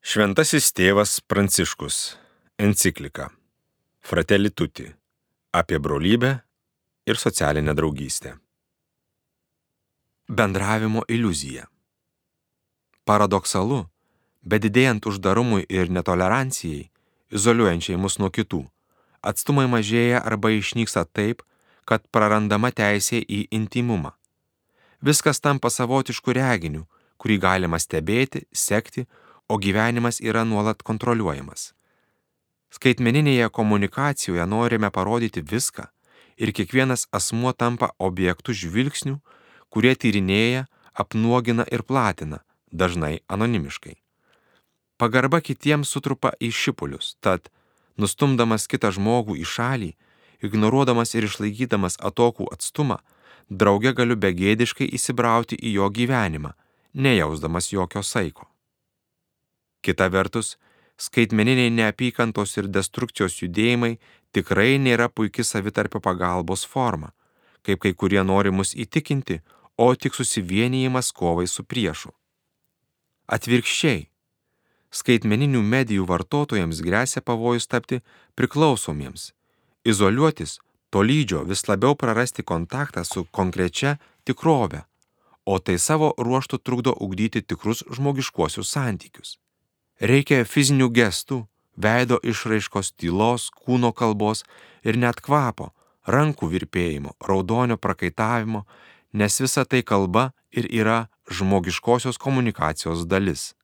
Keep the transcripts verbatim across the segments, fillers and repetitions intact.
Šventasis tėvas Pranciškus. Enciklika Fratelli Tutti apie brolybę ir socialinę draugystę. Bendravimo iliuzija. Paradoksalu, bet didėjant uždarumui ir netolerancijai, izoliuojančiai mus nuo kitų, atstumai mažėja arba išnyksta taip, kad prarandama teisė į intimumą. Viskas tampa savotišku reginiu, kurį galima stebėti, sekti, o gyvenimas yra nuolat kontroliuojamas. Skaitmeninėje komunikacijoje norime parodyti viską ir kiekvienas asmuo tampa objektu žvilgsnių, kurie tyrinėja, apnuogina ir platina, dažnai anonimiškai. Pagarba kitiems sutrupa į šipulius, tad, nustumdamas kitą žmogų į šalį, ignoruodamas ir išlaikydamas atokų atstumą, drauge galiu begėdiškai įsibrauti į jo gyvenimą, nejausdamas jokio saiko. Kita vertus, skaitmeniniai neapykantos ir destrukcijos judėjimai tikrai nėra puiki savitarpio pagalbos forma, kaip kai kurie nori mus įtikinti, o tik susivienijimas kovai su priešu. Atvirkščiai, skaitmeninių medijų vartotojams gresia pavojus tapti priklausomiems, izoliuotis, tolydžio vis labiau prarasti kontaktą su konkrečia tikrove, o tai savo ruožtu trukdo ugdyti tikrus žmogiškuosius santykius. Reikia fizinių gestų, veido išraiškos, tylos, kūno kalbos ir net kvapo, rankų virpėjimo, raudonio prakaitavimo, nes visa tai kalba ir yra žmogiškosios komunikacijos dalis.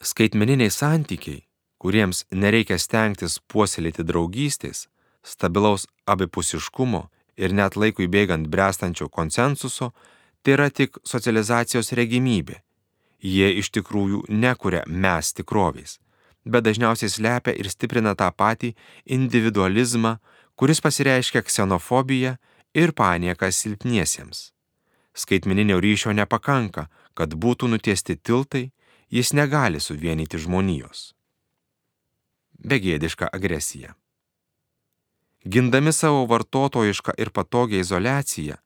Skaitmeniniai santykiai, kuriems nereikia stengtis puoselėti draugystės, stabilaus abipusiškumo ir net laikui bėgant bręstančio konsensuso, tai yra tik socializacijos regimybė. Jie iš tikrųjų nekuria mes tikrovės, bet dažniausiai slepia ir stiprina tą patį individualizmą, kuris pasireiškia ksenofobija ir panieka silpniesiems. Skaitmeninio ryšio nepakanka, kad būtų nutiesti tiltai, jis negali suvienyti žmonijos. Begėdiška agresija. Gindami savo vartotojišką ir patogią izoliaciją,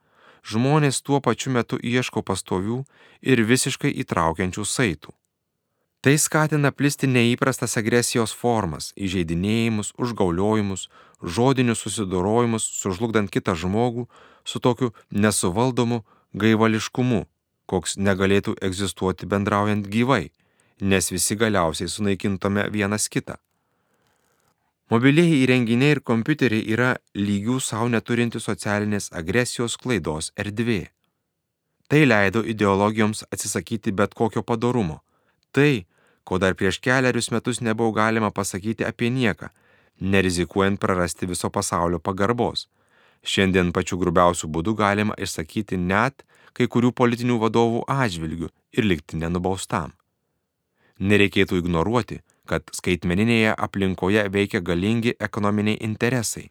žmonės tuo pačiu metu ieško pastovių ir visiškai įtraukiančių saitų. Tai skatina plisti neįprastas agresijos formas, įžeidinėjimus, užgauliojimus, žodinius susidorojimus, sužlugdant kitą žmogų su tokiu nesuvaldomu gaivališkumu, koks negalėtų egzistuoti bendraujant gyvai, nes visi galiausiai sunaikintume vienas kitą. Mobilieji įrenginiai ir kompiuteriai yra lygių savo neturinti socialinės agresijos klaidos erdvė. Tai leido ideologijoms atsisakyti bet kokio padorumo. Tai, ko dar prieš kelerius metus nebuvo galima pasakyti apie nieką, nerizikuojant prarasti viso pasaulio pagarbos. Šiandien pačiu grubiausiu būdu galima išsakyti net kai kurių politinių vadovų atžvilgių ir likti nenubaustam. Nereikėtų ignoruoti, kad skaitmeninėje aplinkoje veikia galingi ekonominiai interesai.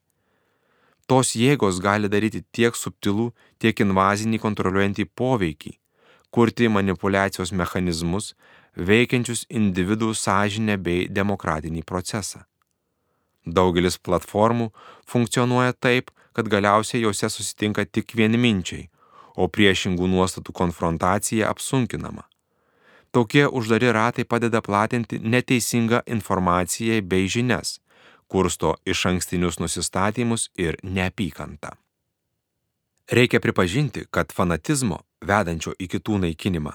Tos jėgos gali daryti tiek subtilų, tiek invazinį kontroliuojantį poveikį, kurti manipuliacijos mechanizmus, veikiančius individų sąžinę bei demokratinį procesą. Daugelis platformų funkcionuoja taip, kad galiausiai jose susitinka tik vienminčiai, o priešingų nuostatų konfrontacija apsunkinama. Tokie uždari ratai padeda platinti neteisingą informaciją bei žinias, kursto išankstinius nusistatymus ir neapykantą. Reikia pripažinti, kad fanatizmo, vedančio į kitų naikinimą,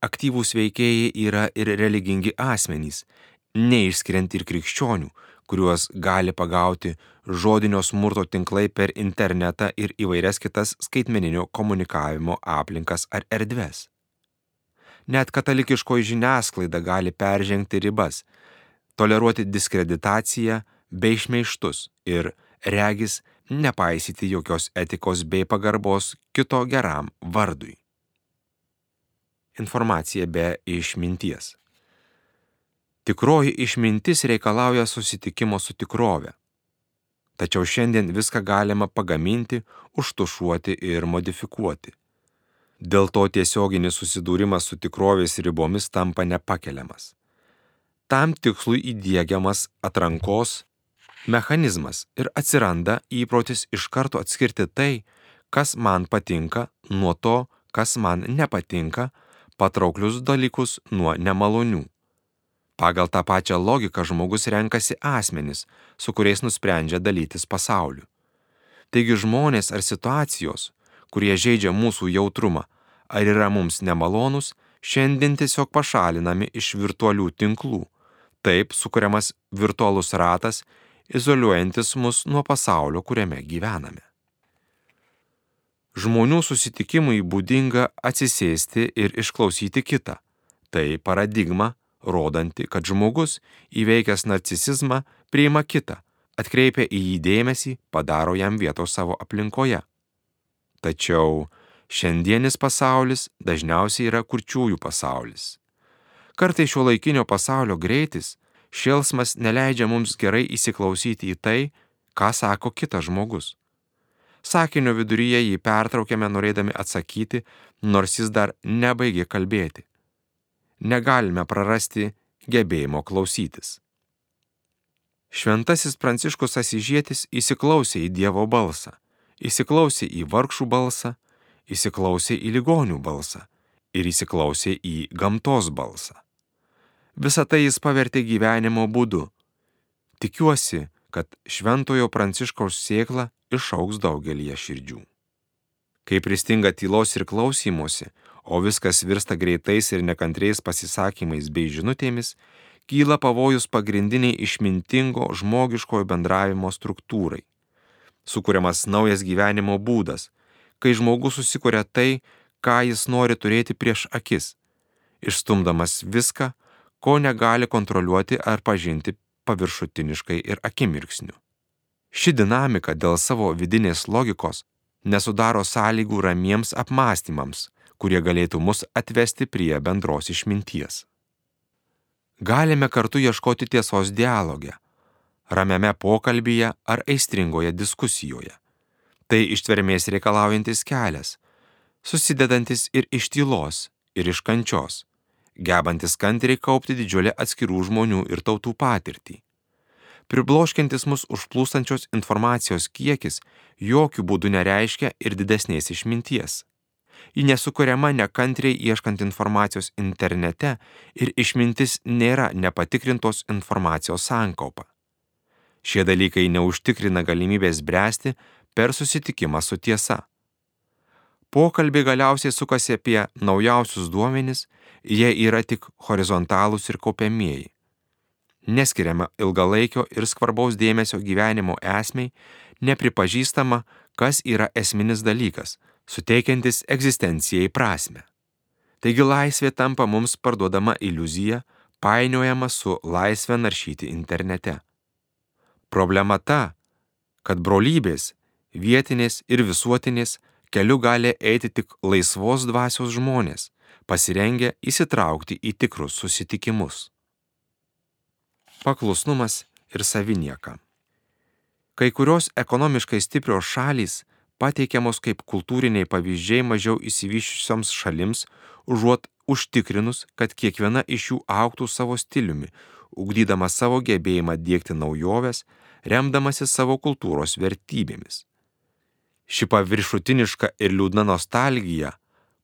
aktyvūs veikėjai yra ir religingi asmenys, neišskiriant ir krikščionių, kuriuos gali pagauti žodinio smurto tinklai per internetą ir įvairias kitas skaitmeninio komunikavimo aplinkas ar erdves. Net katalikiškoji žiniasklaida gali peržengti ribas, toleruoti diskreditaciją bei šmeižtus ir, regis, nepaisyti jokios etikos bei pagarbos kito geram vardui. Informacija be išminties. Tikroji išmintis reikalauja susitikimo su tikrove. Tačiau šiandien viską galima pagaminti, užtušuoti ir modifikuoti. Dėl to tiesioginis susidūrimas su tikrovės ribomis tampa nepakeliamas. Tam tikslui įdiegiamas atrankos mechanizmas ir atsiranda įprotis iš karto atskirti tai, kas man patinka, nuo to, kas man nepatinka, patrauklius dalykus nuo nemalonių. Pagal tą pačią logiką žmogus renkasi asmenis, su kuriais nusprendžia dalytis pasauliu. Taigi žmonės ar situacijos, kurie žeidžia mūsų jautrumą, ar yra mums nemalonus, šiandien tiesiog pašalinami iš virtualių tinklų. Taip sukuriamas virtualus ratas, izoliuojantis mus nuo pasaulio, kuriame gyvename. Žmonių susitikimui būdinga atsisėsti ir išklausyti kitą. Tai paradigma, rodanti, kad žmogus, įveikęs narcisizmą, priima kitą, atkreipia į jį dėmesį, padaro jam vietos savo aplinkoje. Tačiau šiandienis pasaulis dažniausiai yra kurčiųjų pasaulis. Kartais šiuolaikinio pasaulio greitis, šėlsmas neleidžia mums gerai įsiklausyti į tai, ką sako kitas žmogus. Sakinio viduryje jį pertraukiame norėdami atsakyti, nors jis dar nebaigė kalbėti. Negalime prarasti gebėjimo klausytis. Šventasis Pranciškus Asyžietis įsiklausė į Dievo balsą, įsiklausė į vargšų balsą, įsiklausė į ligonių balsą ir įsiklausė į gamtos balsą. Visą tai jis pavertė gyvenimo būdu. Tikiuosi, kad Šventojo Pranciškaus sėkla išaugs daugelyje širdžių. Kai pristinga tylos ir klausymosi, o viskas virsta greitais ir nekantriais pasisakymais bei žinutėmis, kyla pavojus pagrindiniai išmintingo žmogiškojo bendravimo struktūrai. Sukuriamas naujas gyvenimo būdas, kai žmogus susikuria tai, ką jis nori turėti prieš akis, išstumdamas viską, ko negali kontroliuoti ar pažinti paviršutiniškai ir akimirksniu. Ši dinamika dėl savo vidinės logikos nesudaro sąlygų ramiems apmąstymams, kurie galėtų mus atvesti prie bendros išminties. Galime kartu ieškoti tiesos dialoge, ramiame pokalbyje ar aistringoje diskusijoje. Tai ištvermės reikalaujantis kelias, susidedantis ir iš tylos, ir iš kančios, gebantis kantriai kaupti didžiulę atskirų žmonių ir tautų patirtį. Pribloškiantis mus užplūstančios informacijos kiekis jokių būdų nereiškia ir didesnės išminties. Ji nesukuriama nekantriai ieškant informacijos internete ir išmintis nėra nepatikrintos informacijos sankaupa. Šie dalykai neužtikrina galimybės bręsti per susitikimą su tiesa. Pokalbiai galiausiai sukasi apie naujausius duomenis, jie yra tik horizontalūs ir kaupiamieji. Neskiriama ilgalaikio ir svarbaus dėmesio gyvenimo esmei, nepripažįstama, kas yra esminis dalykas, suteikiantis egzistencijai prasmę. Taigi laisvė tampa mums parduodama iliuzija, painiojama su laisvė naršyti internete. Problema ta, kad brolybės, vietinės ir visuotinės keliu gali eiti tik laisvos dvasios žmonės, pasirengę įsitraukti į tikrus susitikimus. Paklusnumas ir savinieka. Kai kurios ekonomiškai stiprios šalys pateikiamos kaip kultūriniai pavyzdžiai mažiau išsivysčiusioms šalims, užuot užtikrinus, kad kiekviena iš jų augtų savo stiliumi, ugdydama savo gebėjimą diegti naujoves, remdamasi savo kultūros vertybėmis. Ši paviršutiniška ir liūdna nostalgija,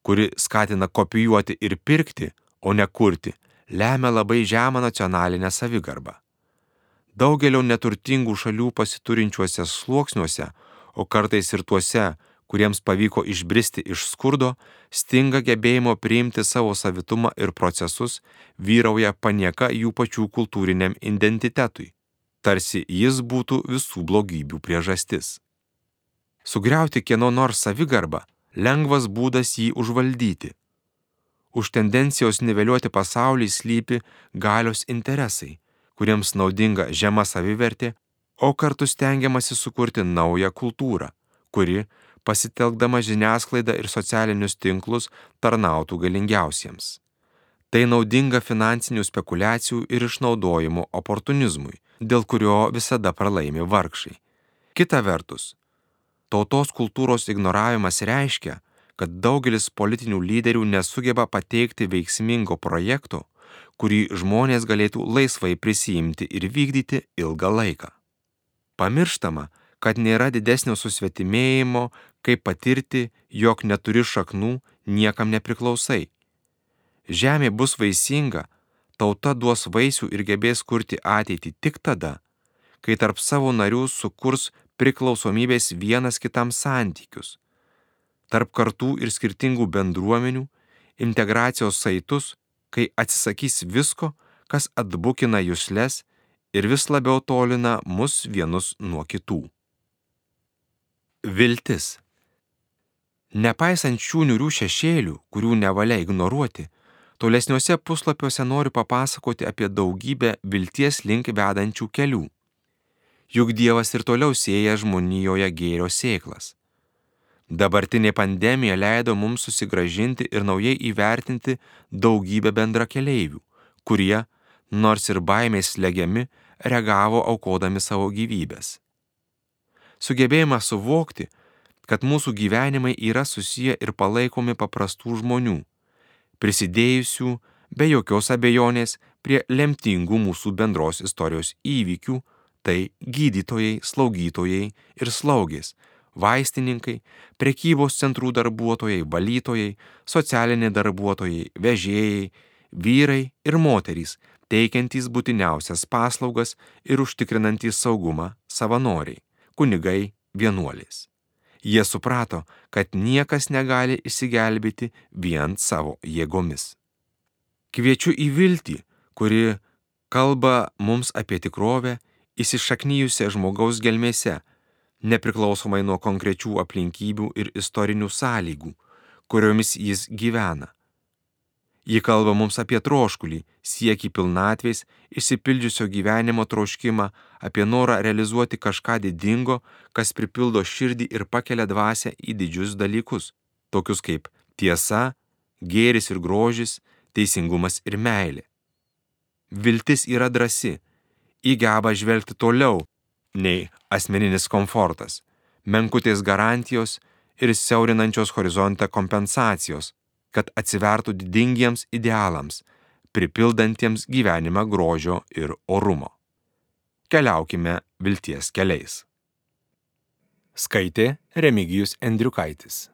kuri skatina kopijuoti ir pirkti, o ne kurti, lemia labai žemą nacionalinę savigarbą. Daugelio neturtingų šalių pasiturinčiuose sluoksniuose, o kartais ir tuose, kuriems pavyko išbristi iš skurdo, stinga gebėjimo priimti savo savitumą ir procesus, vyrauja panieka jų pačių kultūriniam identitetui, tarsi jis būtų visų blogybių priežastis. Sugriauti kieno nors savigarbą lengvas būdas jį užvaldyti. Už tendencijos niveliuoti pasaulį slypi galios interesai, kuriems naudinga žema savivertė, o kartu stengiamasi sukurti naują kultūrą, kuri, pasitelkdama žiniasklaidą ir socialinius tinklus, tarnautų galingiausiems. Tai naudinga finansinių spekulacijų ir išnaudojimo oportunizmui, dėl kurio visada pralaimi vargšai. Kita vertus, tautos kultūros ignoravimas reiškia, kad daugelis politinių lyderių nesugeba pateikti veiksmingo projekto, kurį žmonės galėtų laisvai prisiimti ir vykdyti ilgą laiką. Pamirštama, kad nėra didesnio susvetimėjimo, kaip patirti, jog neturi šaknų, niekam nepriklausai. Žemė bus vaisinga, tauta duos vaisių ir gebės kurti ateitį tik tada, kai tarp savo narių sukurs priklausomybės vienas kitam santykius, tarp kartų ir skirtingų bendruomenių, integracijos saitus, kai atsisakys visko, kas atbukina jusles ir vis labiau tolina mus vienus nuo kitų. Viltis. Nepaisant šių niūrių šešėlių, kurių nevalia ignoruoti, tolesniuose puslapiuose noriu papasakoti apie daugybę vilties link vedančių kelių. Juk Dievas ir toliau sėja žmonijoje gėrio sėklas. Dabartinė pandemija leido mums susigrąžinti ir naujai įvertinti daugybę bendrakeleivių, kurie, nors ir baimės slegiami, reagavo aukodami savo gyvybės. Sugebėjimą suvokti, kad mūsų gyvenimai yra susiję ir palaikomi paprastų žmonių, prisidėjusių be jokios abejonės prie lemtingų mūsų bendros istorijos įvykių, tai gydytojai, slaugytojai ir slaugės, vaistininkai, prekybos centrų darbuotojai, valytojai, socialiniai darbuotojai, vežėjai, vyrai ir moterys, teikiantys būtiniausias paslaugas ir užtikrinantys saugumą savanoriai, kunigai, vienuolės. Jie suprato, kad niekas negali išsigelbėti vien savo jėgomis. Kviečiu į viltį, kuri kalba mums apie tikrovę, įsišaknijusią žmogaus gelmėse, nepriklausomai nuo konkrečių aplinkybių ir istorinių sąlygų, kuriomis jis gyvena. Ji kalba mums apie troškulį, siekį pilnatvės, išsipildžiusio gyvenimo troškimą, apie norą realizuoti kažką didingo, kas pripildo širdį ir pakelia dvasią į didžius dalykus, tokius kaip tiesa, gėris ir grožis, teisingumas ir meilė. Viltis yra drąsi, ji geba žvelgti toliau nei asmeninis komfortas, menkutės garantijos ir siaurinančios horizontą kompensacijos, kad atsivertų didingiems idealams, pripildantiems gyvenimą grožio ir orumo. Keliaukime vilties keliais. Skaitė Remigijus Endriukaitis.